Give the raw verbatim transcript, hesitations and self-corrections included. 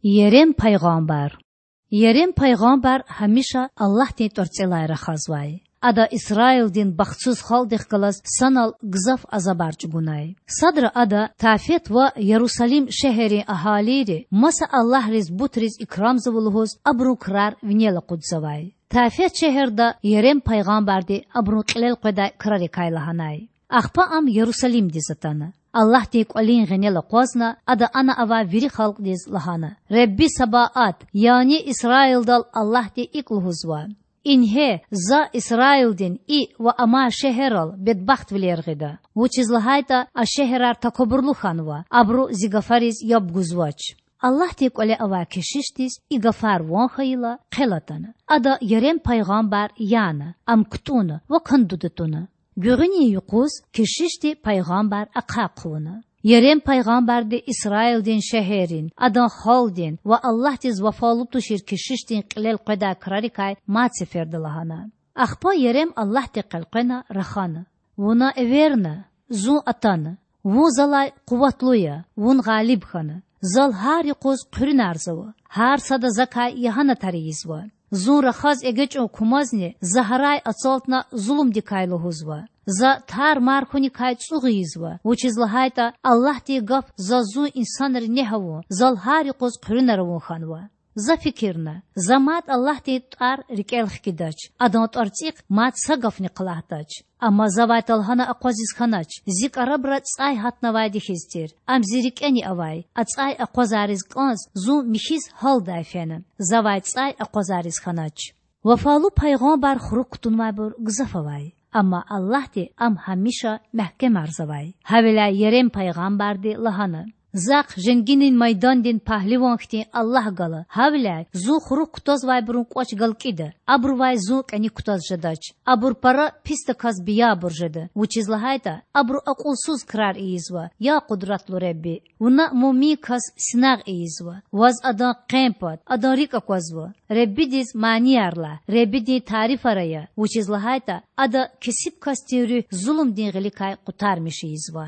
Ярем пайгъамбар. Ярем пайгъамбар гьамиша Аллагьдин тІварцІелай рахазвай. Ада Исраилдин бахтсуз халкьдихъ галаз санал гзаф азабар чІугунай. Садра ада Тафет ва Ярусалим шегьеррин агьалийри маса аллагьриз-бутриз икрамзава лугьуз абурун крар винел акъудзавай. Тафет шегьерда Ярем пайгъамбарди абурун кьилел къведай крарикай лагьанай. Ахпа ам Ярусалимдиз атана. Аллагьдин кІвалин гъенел акъвазна, ада ана авай вири халкьдиз лагьана: Худа Сабаат, яни Исраилдал Аллагьди икІ лугьузва: Ингье, За Исраилдин и ва амай шегьеррал бедбахтвилер гъида, вучиз лагьайтІа а шегьерар такабурлу хьанва, абуру Зи гафариз яб гузвач. Аллагьдин кІвале авай кешишдиз и гафар ван хьайила, хъел атана. Ада Ярем пайгъамбар яна, ам кутІунна ва кандуда туна. Гуьгъуьнин юкъуз кешишди пайгъамбар ахъай хъувуна. Ярем пайгъамбарди Исраилдин шегьеррин, адан халкьдин ва Аллагьдиз вафалу тушир кешишдин кьилел къведай крарикай мад сеферда лагьана. Ахпа Ярем Аллагьдихъ элкъвена рахана: Вуна эверна, Зун атана. Вун Залай къуватлу я, Вун гъалиб хьана. Зал гьар юкъуз хъуьруьнарзава, гьар сада Закай ягьанатар ийизва. Зун рахаз эгечІун кумазни За гьарай ацалтна зулумдикай лугьузва. За тар-мар хьуникай цІугъ ийизва, вучиз лагьайтІа Аллагьдин гаф заз зун инсанри негь авун, Зал гьар юкъуз хъуьруьнар авун хьанва. За фикирна: За мад Аллагьдин тІвар рикІел хкидач, Адан тІварцІихъ мад са гафни хълагьдач. Амма Завай талгьана акъвазиз хьанач, Зи кІарабра цІай гьатнавайди хьиз тир, ам Зи рикІени авай, а цІай акъвазариз кІанз Зун михьиз гьалдай фена, Завай цІай акъвазариз хьанач. Вафалу пайгъамбар хурук кутунвайбур гзаф авай, амма Аллагьди ам гьамиша мягькемарзавай. Гьавиляй Ярем пайгъамбарди лагьана: Захъ женгинин майдандин пагьливан хьтин Аллагь гала, гьавиляй Зун хурук кутазвайбурун кІвач галкІида, абурувай Зун кІаник кутаз жедач. Абур пара писдаказ биябур жеда, вучиз лагьайтІа абуру акьулсуз крар ийизва, я Къудратлу Худа! Вуна муъмин кас синагъ ийизва, Ваз адан къен пад, адан рикІ аквазва. Худадиз манияр лагь, Худадин тарифар ая, вучиз лагьайтІа Ада кесиб касдин руьгь зулумдин гъиликай къутармиш ийизва.